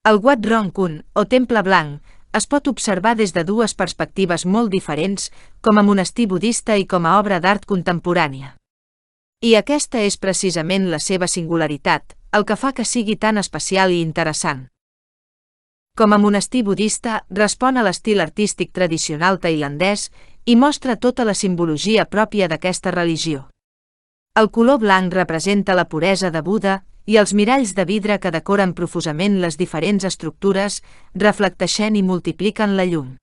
El Wat Rong Kun, o Temple Blanc, es pot observar des de dues perspectives molt diferents, com a monestir budista i com a obra d'art contemporània. I aquesta és precisament la seva singularitat, el que fa que sigui tan especial i interessant. Com a monestir budista, respon a l'estil artístic tradicional tailandès i mostra tota la simbologia pròpia d'aquesta religió. El color blanc representa la puresa de Buda i els miralls de vidre que decoren profusament les diferents estructures reflecteixen i multipliquen la llum.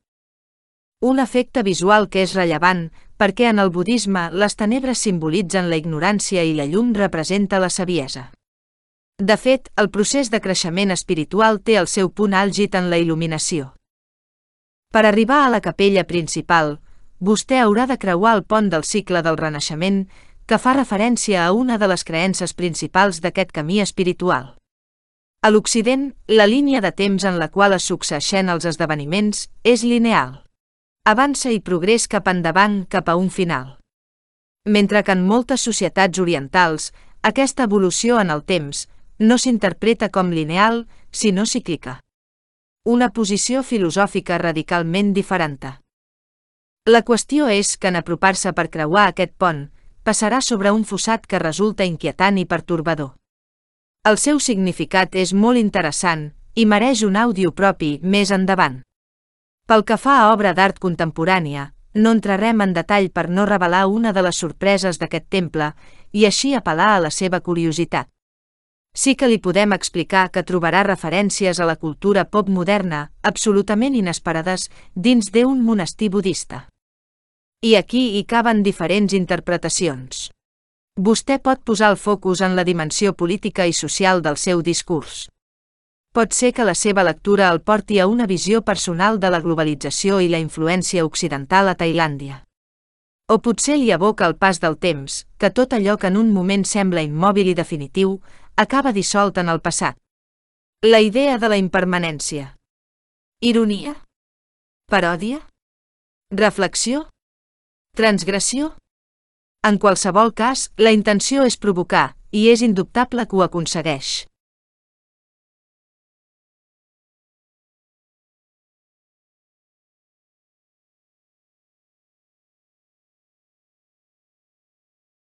Un efecte visual que és rellevant perquè en el budisme les tenebres simbolitzen la ignorància i la llum representa la saviesa. De fet, el procés de creixement espiritual té el seu punt àlgid en la il·luminació. Per arribar a la capella principal, vostè haurà de creuar el pont del cicle del renaixement, que fa referència a una de les creences principals d'aquest camí espiritual. A l'Occident, la línia de temps en la qual es succeeixen els esdeveniments és lineal. Avança i progrés cap endavant cap a un final. Mentre que en moltes societats orientals, aquesta evolució en el temps no s'interpreta com lineal, sinó cíclica. Una posició filosòfica radicalment diferent. La qüestió és que en apropar-se per creuar aquest pont, passarà sobre un fossat que resulta inquietant i pertorbador. El seu significat és molt interessant i mereix un àudio propi més endavant. Pel que fa a obra d'art contemporània, no entrarem en detall per no revelar una de les sorpreses d'aquest temple i així apel·lar a la seva curiositat. Sí que li podem explicar que trobarà referències a la cultura pop moderna absolutament inesperades dins d'un monestir budista. I aquí hi caben diferents interpretacions. Vostè pot posar el focus en la dimensió política i social del seu discurs. Pot ser que la seva lectura el porti a una visió personal de la globalització i la influència occidental a Tailàndia. O potser li evoca el pas del temps, que tot allò que en un moment sembla immòbil i definitiu, acaba dissolt en el passat. La idea de la impermanència. Ironia? Paròdia? Reflexió? Transgressió? En qualsevol cas, la intenció és provocar, i és indubtable que ho aconsegueix.